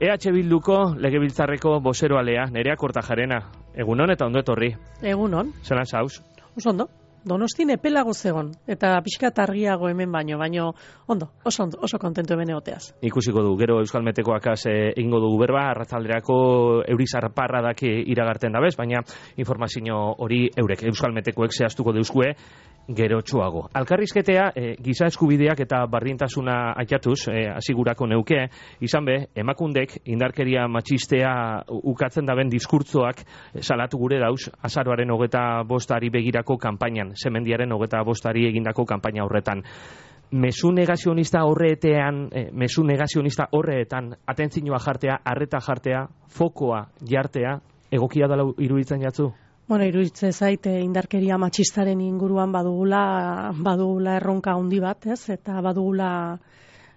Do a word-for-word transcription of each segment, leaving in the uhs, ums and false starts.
E H Bilduko legebiltzarreko bozeroalea, Nerea Kortajarena. Egunon eta ondo etorri. Egunon. Zelan zauz? Oso ondo. Donostin epelago zegon, eta pixkat argiago hemen baino, baino ondo, oso, ondo, oso kontentu hemen egoteaz. Ikusiko du, gero Euskal Metekoakaz e, egingo dugu berba, arratzalderako eurizar parradak iragarten dabez, baina informazio hori eurek Euskal Metekoek zehaztuko deuzkue, gero txuago. Alkarrizketea, e, giza eskubideak eta bardintasuna aitatuz, e, asigurako neuke, izan be, emakundek indarkeria matxistea ukatzen daben diskurtzoak e, salatu gure dauz, azaroaren hogeta bostari begirako kanpainan, semendiaren hogeta bostari egindako kanpaina horretan. Mezu negazionista horreetean, e, mezu negazionista horreetan, atentzioa jartea, arreta jartea, fokoa jartea, egokia dela iruditzen jatzu? Bueno, iruditzen zait indarkeria matxistaren inguruan badugula, badugula erronka handi bat, ez? Eta badugula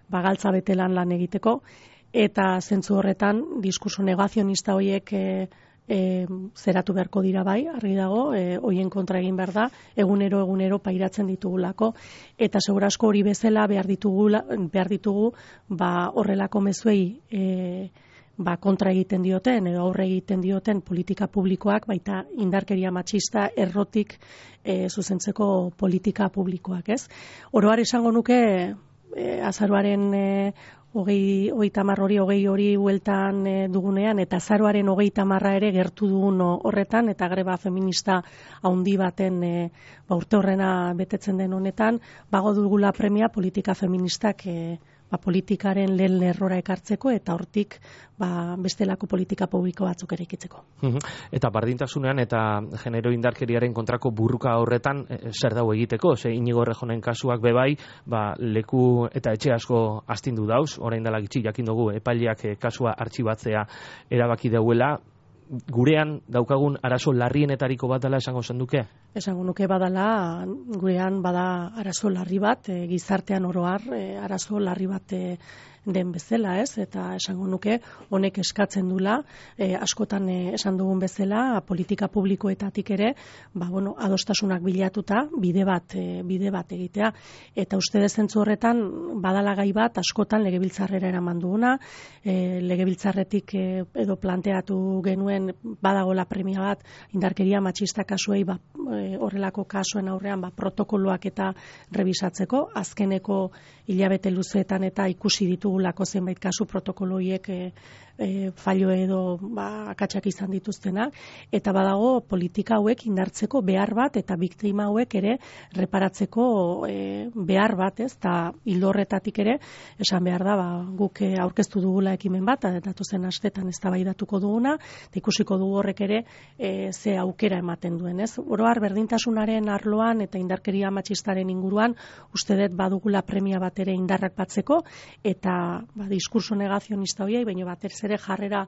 bagaltza betelan lan egiteko, eta zentzu horretan diskurso negazionista horiek e, e, zeratu beharko dira bai, argi dago, e, hoien kontra egin behar da, egunero egunero pairatzen ditugulako, eta segurazko hori bezala behar ditugula, behar ditugu, ba horrelako mezuei e, ba kontra egiten dioten edo aurre egiten dioten politika publikoak, baita indarkeria matxista errotik e, zuzentzeko politika publikoak, ez? Oroar esango nuke e, azaroaren e, hogei, hogei tamar hori, hogei hori hueltan e, dugunean, eta azaroaren hogei tamarra ere gertu dugun horretan, eta greba feminista haundi baten e, ba, urte horrena betetzen den honetan, bago dugula premia politika feministak e, ba, politikaren lehen lerrora ekartzeko eta hortik ba, bestelako politika publiko batzuk ere ikitzeko. Eta bardintasunean eta genero indarkeriaren kontrako burruka horretan e, zer dago egiteko? Ze Inigo Errejonen kasuak bebai, ba, leku eta etxe asko astindu dauz, orain dela gitxi jakin dugu epaileak e, kasua artxibatzea erabaki dauela. Gurean daukagun arazo larrienetariko bat dela esango zenduke? Esango nuke badala, gurean bada arazo larri bat, e, gizartean oroar e, arazo larri bat e, den bezala, ez? Eta esango nuke honek eskatzen dula, e, askotan e, esan dugun bezala, politika publikoetatik ere, ba, bueno, adostasunak bilatuta, bide bat, e, bide bat egitea. Eta uste dezentzu horretan, badala gai bat, askotan legebiltzarrera eraman duguna, e, legebiltzarretik e, edo planteatu genuen badagola premia bat, indarkeria matxista kasuei, ba, e, horrelako kasuen aurrean, ba, protokoloak eta rebisatzeko, azkeneko hilabete luzeetan eta ikusi ditugulako zenbait kasu protokoloiek e, e, fallo edo ba, akatsak izan dituztenak, eta badago politika hauek indartzeko behar bat eta biktima hauek ere reparatzeko e, behar bat, ez, eta hildo horretatik ere esan behar da, ba, guk aurkeztu dugula ekimen bat, datozen astetan eztabaidatuko duguna, eta ikusiko dugu horrek ere e, ze aukera ematen duen, ez? Oroar berdintasunaren arloan eta indarkeria matxistaren inguruan uste dut badugula premia bat ere indarrak batzeko, eta ba, diskurso negazionista horiei, baina batez ere jarrera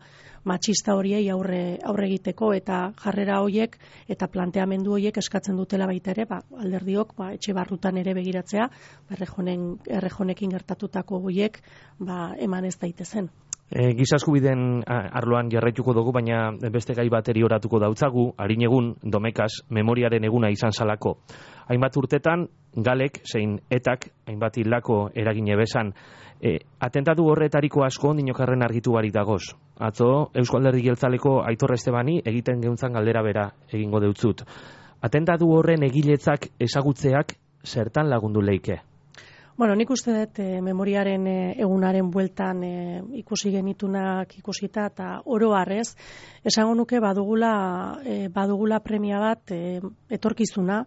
matxista horiei aurre, aurre egiteko, eta jarrera horiek eta planteamendu horiek eskatzen dutela baita ere, ba, alderdiok ba, etxe barrutan ere begiratzea, ba, errejonen, errejonekin gertatutako horiek ba, eman ez daitezen. E, giza eskubideen arloan jarraituko dugu, baina beste gai bateri oratuko dautzagu, harin egun Domekaz memoriaren eguna izan salako. Hainbat urtetan, galek, zein etak, hainbat hildako eragine bezan. E, atentatu horretariko asko ondinokarren argitu barik dagoz. Atzo, Eusko Alderdi Jeltzaleko Aitor Estebani egiten geuntzan galdera bera egingo deutzut. Atentatu horren egiletzak ezagutzeak zertan lagundu leike? Bueno, nik uste dut e, memoriaren e, egunaren bueltan e, ikusi genitunak ikusita eta oro harrez, esango nuke badugula, e, badugula premia bat e, etorkizuna,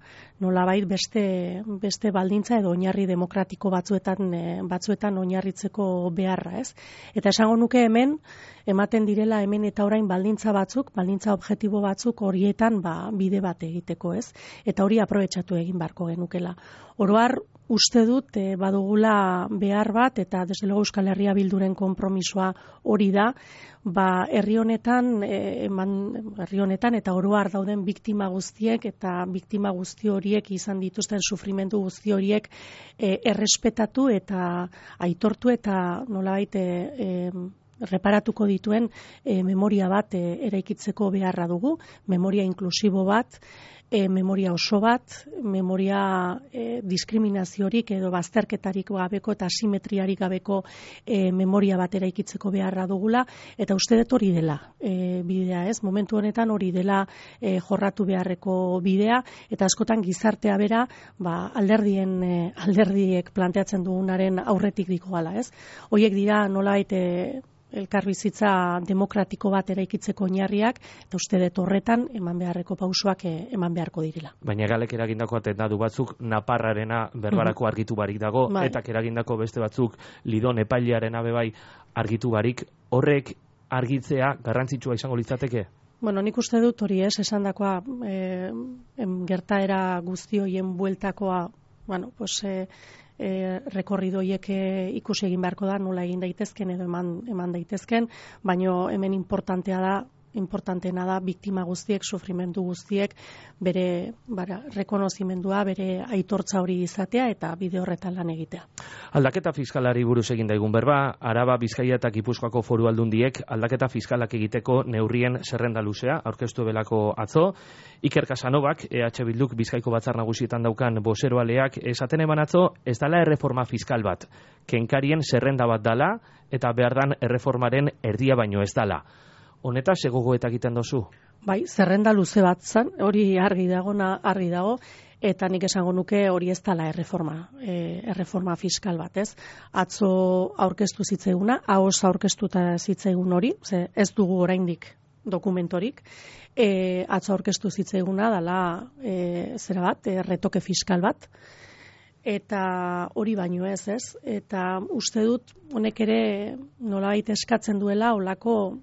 nolabait beste, beste baldintza edo oinarri demokratiko batzuetan, e, batzuetan oinarritzeko beharra, ez? Eta esango nuke hemen, ematen direla hemen eta orain baldintza batzuk, baldintza objektibo batzuk horietan ba, bide bat egiteko, ez? Eta hori aprobetxatu egin beharko genukela. Oroar, uste dut e, badugula behar bat, eta desde luego Euskal Herria Bilduren konpromisoa hori da, ba, herri honetan, e, eman, herri honetan eta oroar dauden biktima guztiek eta biktima guzti horiek izan dituzten sufrimendu guzti horiek e, errespetatu eta aitortu eta nolabait e, e, reparatuko dituen e, memoria bat e, eraikitzeko beharra dugu, memoria inklusibo bat, E, memoria oso bat, memoria e, diskriminaziorik edo bazterketarik gabeko eta asimetriarik gabeko e, memoria bat eraikitzeko beharra dugula, eta uste dut hori dela e, bidea, ez? Momentu honetan hori dela e, jorratu beharreko bidea, eta askotan gizartea bera, ba, alderdien e, alderdiek planteatzen dugunaren aurretik diko gala, ez? Hoiek dira nolabait e, elkarbizitza demokratiko bat eraikitzeko oinarriak, eta uste dut horretan eman beharreko pausoak eman beharko direla. Baina galek eragindako atentatu batzuk Naparrarena berbarako argitu barik dago, bai. Etak eragindako beste batzuk Lidon epailearena bebai argitu barik, horrek argitzea garrantzitsua izango litzateke? Bueno, nik uste dut hori ez, esandakoa e, gertaera guzti hoien bueltakoa, bueno, pues e, E, rekorridoiek ikusi egin beharko da, nola egin daitezken edo eman, eman daitezken, baino hemen importantea da, importanteena da biktima guztiek, sufrimendu guztiek, bere bara, rekonozimendua, bere aitortza hori izatea eta bide horretan lan egitea. Aldaketa fiskalari buruz egin daigun berba, Araba, Bizkaia eta Gipuzkoako foru aldundiek aldaketa fiskalak egiteko neurrien zerrenda luzea, aurkeztu belako atzo. Iker Casanovak, E H Bilduk Bizkaiko batzar nagusietan daukan bozeroaleak esaten eman atzo, ez dala erreforma fiskal bat, kenkarien zerrenda bat dala, eta behar dan erreformaren erdia baino ez dala. Honeta, segogoetak egiten dozu? Bai, zerrenda luze bat zan, hori argi dago, argi dago, eta nik esango nuke hori ez dala erreforma, e, erreforma fiskal bat, ez? Atzo aurkeztu zitzaiguna, ahoz aurkeztuta zitzaigun hori, ze ez dugu oraindik dokumentorik, e, atzo aurkeztu zitzaiguna dala e, zera bat, e, retoke fiskal bat, eta hori baino ez, ez? Eta uste dut, honek ere nolabait eskatzen duela olako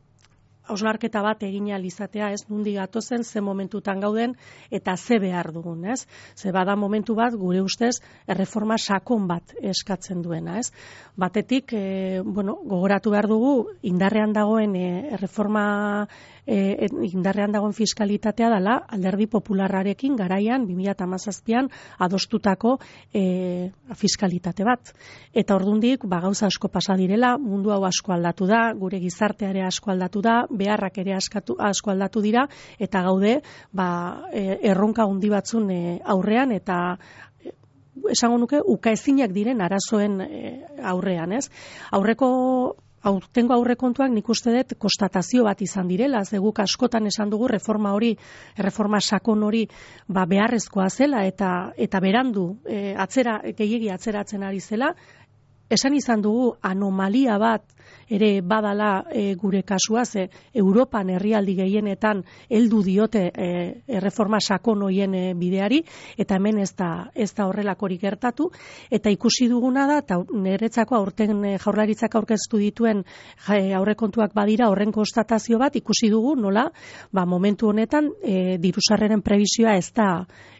hausnarketa bat egin ahal izatea, ez, nundi gatozen, ze momentutan gauden, eta ze behar dugun, ez? Ze bada momentu bat, gure ustez, erreforma sakon bat eskatzen duena, ez? Batetik, e, bueno, gogoratu behar dugu, indarrean dagoen e, erreforma, e, indarrean dagoen fiskalitatea dela, alderdi popularrarekin garaian, bi mila hamazazpian, adostutako e, fiskalitate bat. Eta ordundik, ba, gauza asko pasa direla, mundu hau asko aldatu da, gure gizarteare asko aldatu da, beharrak ere askatu, asko aldatu dira, eta gaude ba, e, erronka handi batzun e, aurrean, eta e, esango nuke ukaezinak diren arazoen e, aurrean, ez? Aurreko aurtengo aurrekontuak nik uste dut konstatazio bat izan direla, ze guk askotan esan dugu reforma hori, erreforma sakon hori ba, beharrezkoa zela, eta eta berandu e, atzera, gehiegi atzeratzen ari zela, esan izan dugu anomalia bat ere badala e, gure kasua, ze Europan herrialdi gehienetan heldu diote e, erreforma sakon hoien e, bideari, eta hemen ez da, ez da horrelakorik gertatu, eta ikusi duguna da, eta niretzako aurten e, jaurlaritzak aurkeztu dituen e, aurrekontuak badira horren konstatazio bat, ikusi dugu nola, ba, momentu honetan e, dirusarreren prebizioa ez da,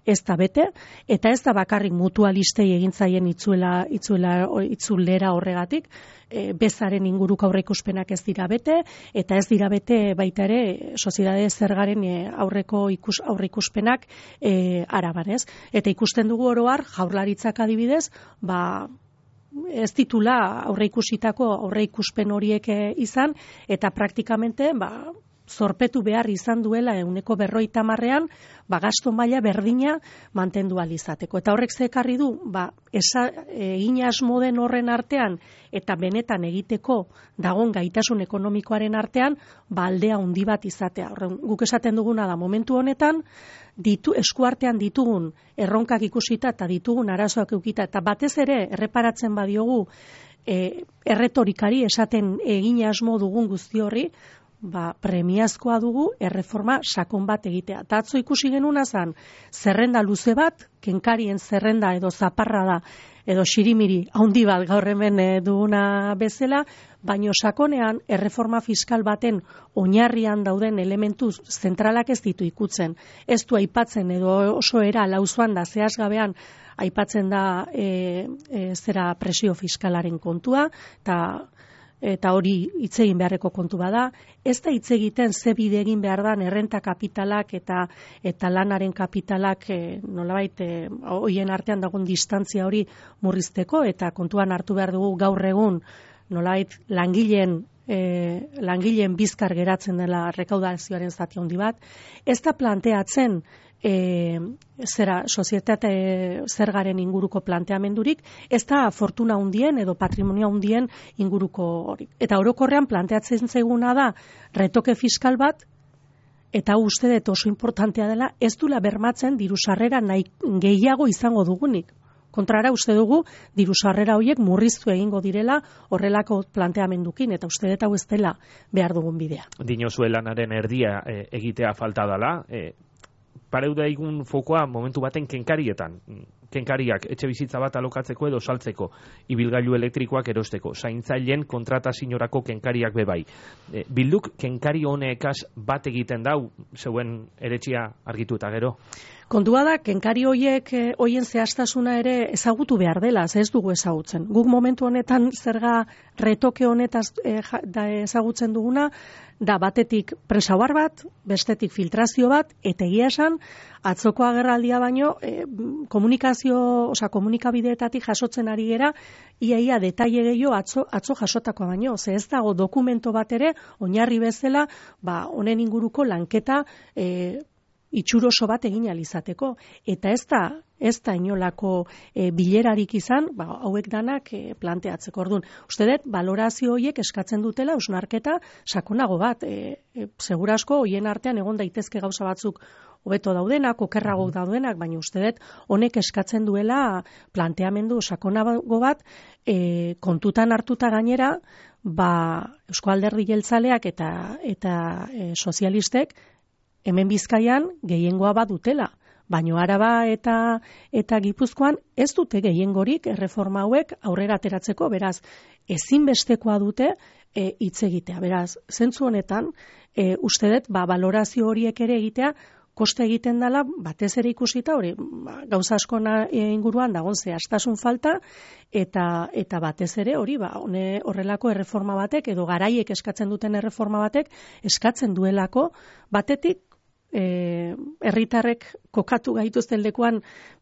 ez da bete, eta ez da bakarrik mutualistei egintzaien itzuela, itzuela, itzulera horregatik, e, bezaren inguruko aurreikuspenak ez dira bete, eta ez dira bete baita ere soziedade zergaren e, aurreko ikus, aurreikuspenak e, araban, ez? Eta ikusten dugu oroar, jaurlaritzak adibidez, ba, ez ditula aurreikusitako aurreikuspen horiek izan, eta praktikamente, ba, zorpetu behar izan duela ehuneko berrogeita hamarrean, ba, gasto maila berdina mantendu ahal izateko. Eta horrek ze ekarri du, ba, esa, egin asmo den horren artean, eta benetan egiteko dagon gaitasun ekonomikoaren artean, ba, aldea handi bat izatea. Horren, guk esaten duguna da, momentu honetan, ditu, eskuartean ditugun erronkak ikusita eta ditugun arazoak eukita, eta batez ere erreparatzen badiogu e, erretorikari esaten egin asmo dugun guzti horri, ba, premiazkoa dugu erreforma sakon bat egitea. Eta atzo ikusi genuna zen, zerrenda luze bat, kenkarien zerrenda edo zaparra da, edo xirimiri handi bat gaur hemen e, duguna bezala, baino sakonean erreforma fiskal baten oinarrian dauden elementu zentralak ez ditu ikutzen. Ez du aipatzen edo oso era lauzuan da zehazgabean aipatzen da e, e, zera presio fiskalaren kontua, eta eta hori hitz egin beharreko kontu bada, ez da hitz egiten ze bide egin behar dan errenta kapitalak eta eta lanaren kapitalak e, nolabait e, hoien artean dagoen distantzia hori murrizteko, eta kontuan hartu behar dugu gaur egun nolabait langileen e, langileen bizkar geratzen dela rekaudazioaren zati handi bat, ez da planteatzen e, zera sozietate zergaren inguruko planteamendurik, ez da fortuna handien edo patrimonio handien inguruko hori. Eta orokorrean planteatzen zaiguna da retoke fiskal bat, eta uste dut oso importantea dela, ez dula bermatzen diru sarrera nahi gehiago izango dugunik. Kontrara uste dugu diru sarrera horiek murriztu egingo direla horrelako planteamendukin, eta uste dut hau ez dela behar dugun bidea. Dinozue lanaren erdia e, egitea falta dela, e, pareu da egun fokoa momentu baten kenkarietan. Kenkariak etxe bizitza bat alokatzeko edo saltzeko, ibilgailu elektrikoak erosteko, zaintzaileen kontratazioarako kenkariak bebai. E, bilduk kenkari honekaz bat egiten dau, zeuen eretxia argitu eta gero? Kontua da, kenkari hoiek hoien zehaztasuna ere ezagutu behar dela, ez dugu ezagutzen. Guk momentu honetan zerga retoke honetaz e, da ezagutzen duguna, da batetik presauar bat, bestetik filtrazio bat, eta egia esan, atzoko agerraldia baino, e, komunikazio, osea, komunikabideetatik jasotzen ari gera, iaia detaile gehiago atzo, atzo jasotakoa baino. Ze ez dago dokumento bat ere, oinarri bezala, ba, honen inguruko lanketa e, itxuroso bat egin alizateko. Eta ez da, ez da inolako e, bilerarik izan, ba, hauek danak e, planteatzeko. Orduan, uste dut, balorazio horiek eskatzen dutela, hausnarketa sakonago bat. E, e, segurasko, hoien artean egon daitezke gauza batzuk hobeto daudenak, okerrago daudenak, baina uste dut, honek eskatzen duela planteamendu sakonago bat, e, kontutan hartuta gainera, ba, Eusko Alderdi Jeltzaleak eta, eta e, sozialistek, hemen Bizkaian gehiengoa bat dutela, baino Araba eta eta Gipuzkoan ez dute gehiengorik erreforma hauek aurrera ateratzeko, beraz, ezinbestekoa dute hitz e, egitea. Beraz, zentzu honetan, e, uste dut, ba, balorazio horiek ere egitea, koste egiten dela, batez ere ikusita, hori, ba, gauza asko inguruan dagoen zehaztasun falta, eta eta batez ere hori, ba, hone horrelako erreforma batek, edo garaiek eskatzen duten erreforma batek, eskatzen duelako, batetik, Eh, herritarrek kokatu gaituzten lekuan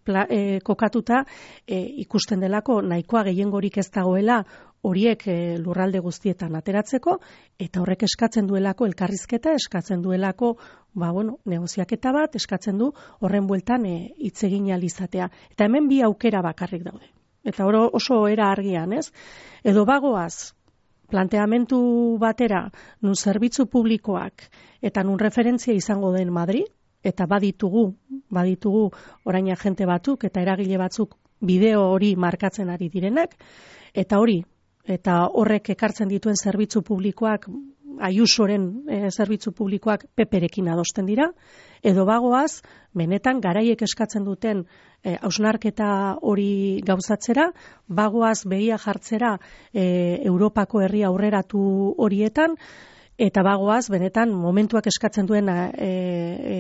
pla, eh, kokatuta eh, ikusten delako nahikoa gehiengorik ez dagoela horiek eh, lurralde guztietan ateratzeko, eta horrek eskatzen duelako elkarrizketa, eskatzen duelako ba, bueno, negoziaketa bat, eskatzen du horren bueltan hitz egin ahal izatea. Eta hemen bi aukera bakarrik daude. Eta oro, oso era argian, ez? Edo bagoaz, planteamentu batera, nun zerbitzu publikoak eta nun referentzia izango den Madrid, eta baditugu, baditugu orain agente batzuk eta eragile batzuk bideo hori markatzen ari direnak, eta hori, eta horrek ekartzen dituen zerbitzu publikoak, Ayusoren e, zerbitzu publikoak peperekin adosten dira, edo bagoaz, benetan garaiek eskatzen duten hausnarketa e, hori gauzatzera, bagoaz begia jartzera e, Europako herri aurreratu horietan, eta bagoaz, benetan, momentuak eskatzen duen e, e,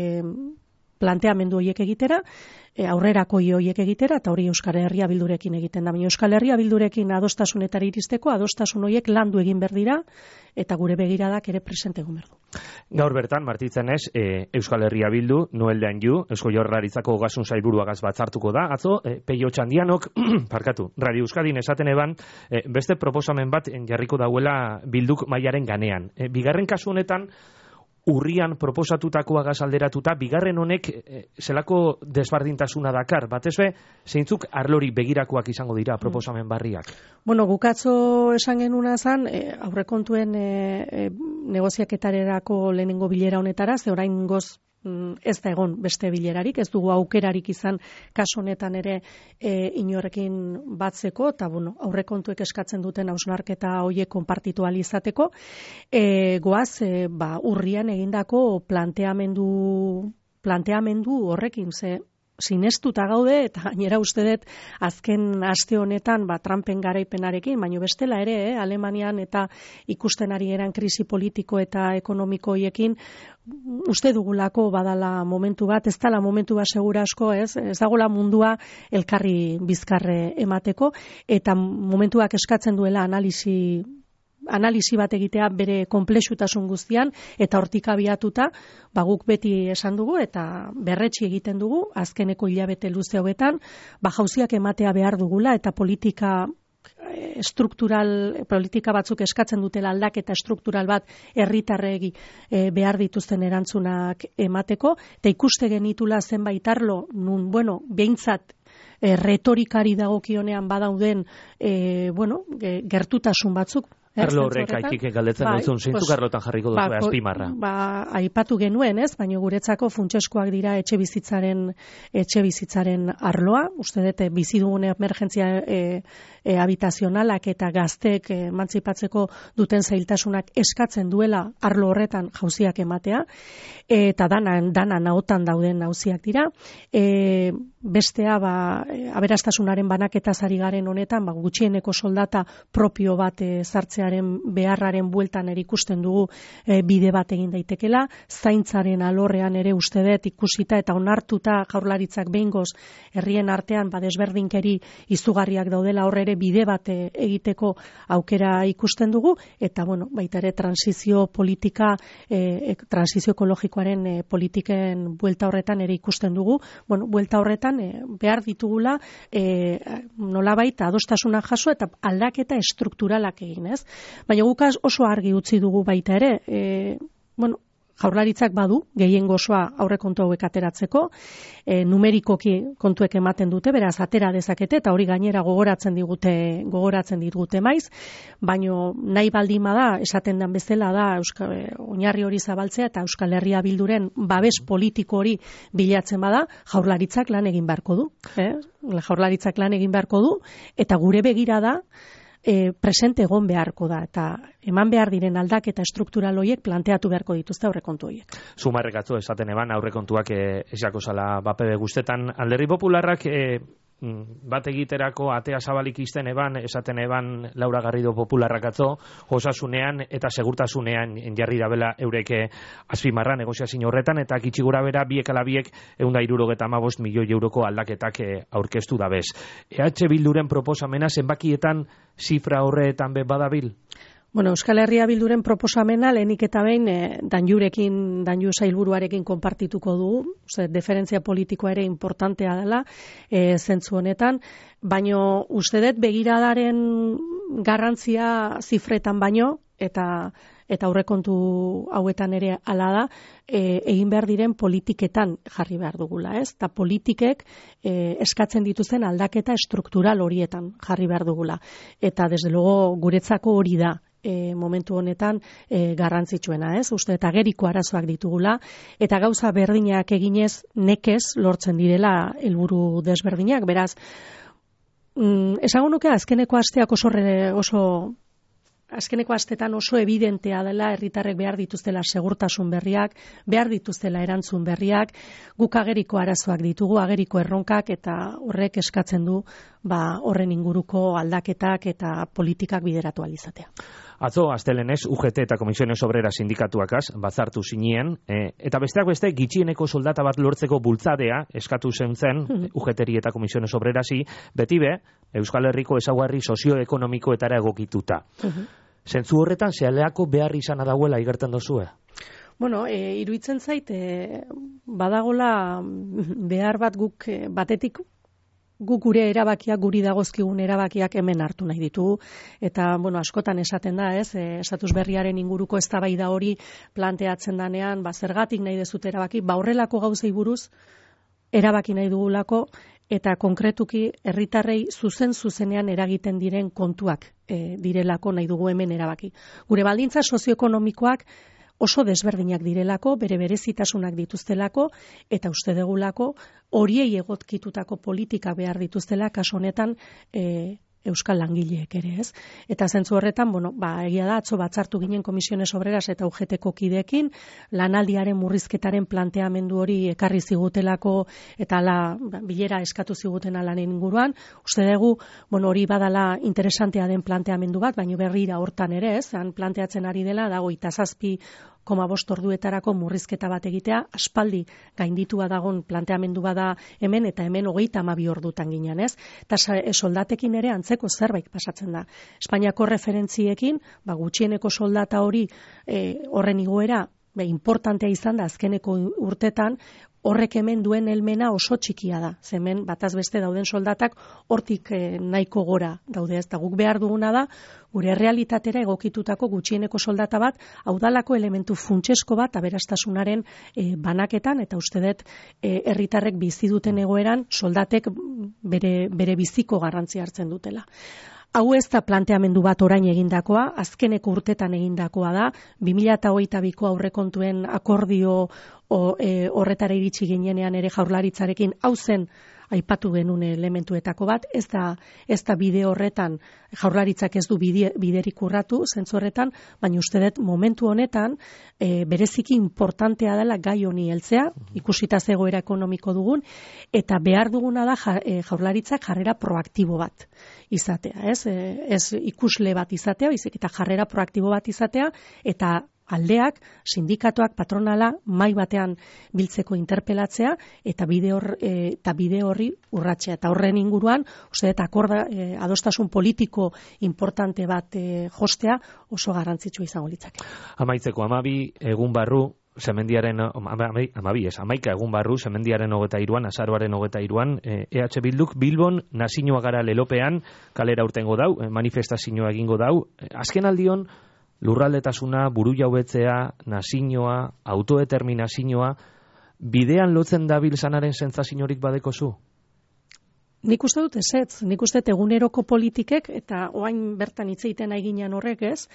planteamendu horiek egitera, e, aurrerako horiek egitera, eta hori Euskal Herria Bildurekin egiten da. Baina Euskal Herria Bildurekin adostasunetara iristeko, adostasun horiek landu egin behar dira, eta gure begiradak ere presente egon behar du. Gaur bertan, martitzenez, e, Euskal Herria Bildu, Noel de Anjou, Eusko Jaurlaritzako Ogasun Sailburuagaz batzartuko da, atzo, e, Peio Txandianok, parkatu, Radio Euskadin esaten eban, e, beste proposamen bat jarriko dauela Bilduk mailaren ganean. E, bigarren kasu honetan, urrian proposatutakoa gazalderatuta, bigarren honek e, zelako desbardintasuna dakar, batez be, zeintzuk arlori begirakoak izango dira proposamen barriak? Bueno, gukatzo esan genuna zan, e, aurrekontuen e, e, negoziaketarerako lehenengo bilera honetara, ze orain goz ez da egon beste bilerarik, ez dugu aukerarik izan kasu honetan ere e, inorrekin batzeko, eta bueno, aurrekontuek eskatzen duten hausnarketa horiek konpartitu ahal izateko, e, goaz e, ba, urrian egindako planteamendu planteamendu horrekin, ze sinestuta gaude, eta gainera uste dut azken aste honetan ba, Trumpen garaipenarekin, baina bestela ere, eh, Alemanian eta ikusten ari eran krisi politiko eta ekonomiko hiekin, uste dugulako badala momentu bat, ez dala momentu bat segura asko, ez, ez dagoela mundua elkarri bizkarre emateko, eta momentuak eskatzen duela analisi analisi bat egitea bere konplexutasun guztian, eta hortik abiatuta, ba guk beti esan dugu, eta berretsi egiten dugu, azkeneko hilabete luze hauetan, ba jauziak ematea behar dugula, eta politika estruktural, politika batzuk eskatzen dutela aldaketa estruktural bat herritarregi e, behar dituzten erantzunak emateko, eta ikuste genitula zenbait arlo, nun, bueno, behintzat e, retorikari dagokionean badauden e, bueno, e, gertutasun batzuk. Arlo horrek aitik galdetzen bai, duzun, zeintzuk pues, arlotan jarriko duzu ba, azpimarra? Ba, aipatu genuen, ez, baina guretzako funtseskoak dira etxe bizitzaren, etxe bizitzaren arloa, uste dute bizi dugun emergentzia e, e, habitazionalak eta gazteek emantzipatzeko duten zailtasunak eskatzen duela arlo horretan jauziak ematea, eta danan, danan ahotan dauden jauziak dira. E, bestea, ba, aberastasunaren banaketaz ari garen honetan, ba, gutxieneko soldata propio bat e, sartzea beharraren bueltan ere ikusten dugu e, bide bat egin daitekela, zaintzaren alorrean ere uste dut ikusita eta onartuta Jaurlaritzak behingoz herrien artean ba, desberdinkeri izugarriak daudela, hor ere bide bat e, egiteko aukera ikusten dugu, eta bueno, baita ere transizio politika, e, transizio ekologikoaren e, politiken buelta horretan ere ikusten dugu, bueno, buelta horretan e, behar ditugula e, nolabait adostasuna jaso eta aldaketa estrukturalak egin, ez? Baina guk oso argi utzi dugu baita ere, e, bueno, Jaurlaritzak badu, gehiengo osoa aurrekontu hauek ateratzeko, e, numerikoki kontuek ematen dute, beraz atera dezakete, eta hori gainera gogoratzen digute, gogoratzen digute maiz, baino nahi baldima da, esaten den bezala da, Euskal, oinarri hori zabaltzea, eta Euskal Herria Bilduren babes politiko hori bilatzen bada, Jaurlaritzak lan egin beharko du. Eh? Jaurlaritzak lan egin beharko du, eta gure begira da, E, presente egon beharko da, eta eman behar diren aldaketa estruktural horiek planteatu beharko dituzte aurrekontu horiek. Zumarrek atzo esaten eban aurrekontuak e, esako zala bapebe guztetan. Alderdi Popularrak e, bat egiterako atea zabalik izten eban, esaten eban Laura Garrido Popularrak atzo, osasunean eta segurtasunean jarri dabela eureke azpimarra negoziazio horretan, eta gitxi gora bera biek ala biek ehun eta hirurogeta hamabost milioi euroko aldaketak e, aurkeztu dabez. E H Bilduren proposamena zenbakietan zifra horretan be badabil? Bueno, Euskal Herria Bilduren proposamena lehenik eta behin eh, danjurekin, danju sailburuarekin konpartituko dugu, Ose, deferentzia politikoa ere importantea dela eh, zentzu honetan, baino uste dut begiradaren garrantzia zifretan baino, eta eta aurrekontu hauetan ere hala da, e, egin behar diren politiketan jarri behar dugula, ez? Ta politikek e, eskatzen dituzten aldaketa estruktural horietan jarri behar dugula. Eta desde luego guretzako hori da, E, momentu honetan e, garrantzitsuena, ez? Uste eta geriko arazoak ditugula, eta gauza berdinak eginez nekez lortzen direla helburu desberdinak, beraz, mm, esango nuke azkeneko asteak oso, oso azkeneko astetan oso evidentea dela herritarrek behar dituztela segurtasun berriak, behar dituztela erantzun berriak, guk ageriko arazoak ditugu, ageriko erronkak, eta horrek eskatzen du ba, horren inguruko aldaketak eta politikak bideratu alizatea. Atzo, astelenez, U G T eta Komisiones Obreras sindikatuakaz, batzartu zinien, e, eta besteak beste, gitxieneko soldata bat lortzeko bultzadea eskatu zen zen, U G T eta Komisiones Obrerasi, beti be, Euskal Herriko ezaugarri sozioekonomikoetara egokituta. Zentzu horretan, zehaleako behar izan adauela igerten dozue? Bueno, e, iruditzen zait, e, badagola behar bat guk e, batetik, guk gure erabakiak, guri dagozkigun erabakiak hemen hartu nahi ditugu, eta bueno, askotan esaten da, ez, e, estatus berriaren inguruko eztabaida hori planteatzen danean, ba, zergatik nahi dezut erabaki, ba, horrelako gauzei buruz erabaki nahi dugulako, eta konkretuki herritarrei zuzen zuzenean eragiten diren kontuak e, direlako nahi dugu hemen erabaki. Gure baldintza sozioekonomikoak oso desberdinak direlako, bere berezitasunak dituztelako, eta uste degulako horiei egotkitutako politika behar dituztela, kaso honetan e, euskal langileek ere, ez? Eta zentzu horretan, bueno, ba, egia da, atzo batzartu ginen Komisiones Obreras eta U G T-ko kideekin, lanaldiaren murrizketaren planteamendu hori ekarri zigutelako, eta ala, ba, bilera eskatu ziguten alanen inguruan, uste dugu, bueno, hori badala interesantea den planteamendu bat, baina berrira hortan ere, ez? Han planteatzen ari dela, dago itazazpi koma bost orduetarako murrizketa bat egitea, aspaldi gainditua dagon planteamendu bada hemen, eta hemen hogeita hamabi ordutan ginen, ez? Eta soldatekin ere antzeko zerbait pasatzen da. Espainiako referentziekin, ba, gutxieneko soldata hori e, horren igoera, be, importantea izan da azkeneko urtetan, horrek hemen duen helmena oso txikia da. Hemen bataz beste dauden soldatak hortik eh, nahiko gora daude, ez da guk behar duguna da, gure realitatera egokitutako gutxieneko soldata bat, haudalako elementu funtsesko bat aberastasunaren eh, banaketan, eta uste dut eh, herritarrek bizi duten egoeran soldatek bere, bere biziko garrantzia hartzen dutela. Hau ez da planteamendu bat orain egindakoa, azkeneko urtetan egindakoa da, bi mila hogeita biko aurrekontuen akordio o, e, horretara iritsi ginenean ere Jaurlaritzarekin hau zen aipatu genuen elementuetako bat, ez da, ez da bide horretan, Jaurlaritzak ez du bide, biderik urratu, zentzu horretan, baina uste dut momentu honetan e, bereziki importantea dela gai honi heltzea, ikusita zegoera ekonomiko dugun, eta behar duguna da ja, e, Jaurlaritzak jarrera proaktibo bat izatea, ez? E, ez ikusle bat izatea, baizik eta jarrera proaktibo bat izatea, eta aldeak, sindikatuak, patronala, mai batean biltzeko interpelatzea eta bide hor, e, eta bide horri urratzea. Eta horren inguruan, uste dut akorda, e, adostasun politiko importante bat e, jostea oso garrantzitsua izango litzake. Amaitzeko amabi egun barru, Semendiaren, amabi, amabi ez, amaika egun barru, Semendiaren hogeta iruan, azaroaren hogeta iruan, E H Bilduk Bilbon nazinoa gara lelopean, kalera urtengo dau, manifestazioa egingo dau, azken aldion, lurraldetasuna, buru jaubetzea, nazinoa, autodeterminazioa, bidean lotzen dabil zanaren sentsaziorik badekozu? Nik uste dut ezetz, nik uste dut eguneroko politikek, eta oain bertan hitz egiten aiginean horrek ez,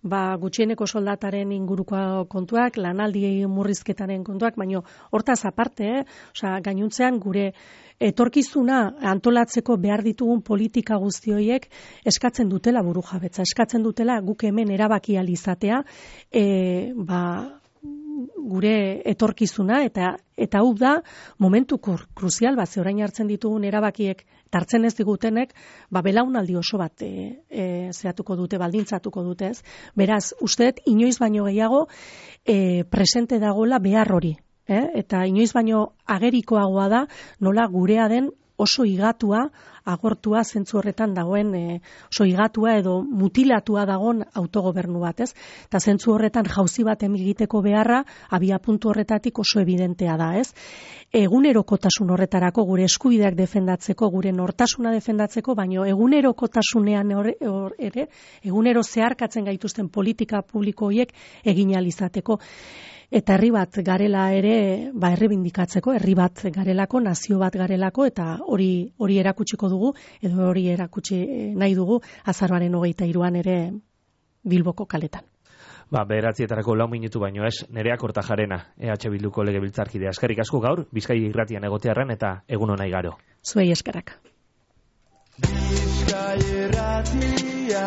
ba, gutxieneko soldataren inguruko kontuak, lanaldi murrizketaren kontuak, baino hortaz aparte, eh? Osea, gainuntzean gure etorkizuna antolatzeko behar ditugun politika guzti horiek eskatzen dutela burujabetza, eskatzen dutela guk hemen erabaki ahal izatea, e, ba, gure etorkizuna, eta eta hau da momentu kruzial bat, ze orain hartzen ditugun erabakiek, hartzen ez digutenek, ba belaunaldi oso bat e, e, zehatuko dute, baldintzatuko dute, ez? Beraz, uste dut inoiz baino gehiago e, presente dagoela behar hori. Eh? Eta inoiz baino agerikoagoa da nola gurea den oso higatua, agortua zentzu horretan dagoen, e, oso higatua edo mutilatua dagoen autogobernu bat, ez? Eta zentzu horretan jauzi bat egiteko beharra, abia puntu horretatik oso evidentea da, ez? Egunerokotasun horretarako, gure eskubideak defendatzeko, gure nortasuna defendatzeko, baino egunerokotasunean ere, egunero zeharkatzen gaituzten politika publiko horiek egin ahal izateko. Eta herri bat garela ere, ba herri bindikatzeko, herri bat garelako, nazio bat garelako, eta hori hori erakutsiko dugu, edo hori erakutsi nahi dugu, azaroaren hogeita hiruan ere Bilboko kaletan. Ba, bederatzietarako lau minutu baino ez, Nerea Kortajarena, E H Bilduko legebiltzarkidea. Eskerrik asko gaur, Bizkai irratian egotearren, eta egun ona igaro. Zuei eskerrak. Bizkai irratia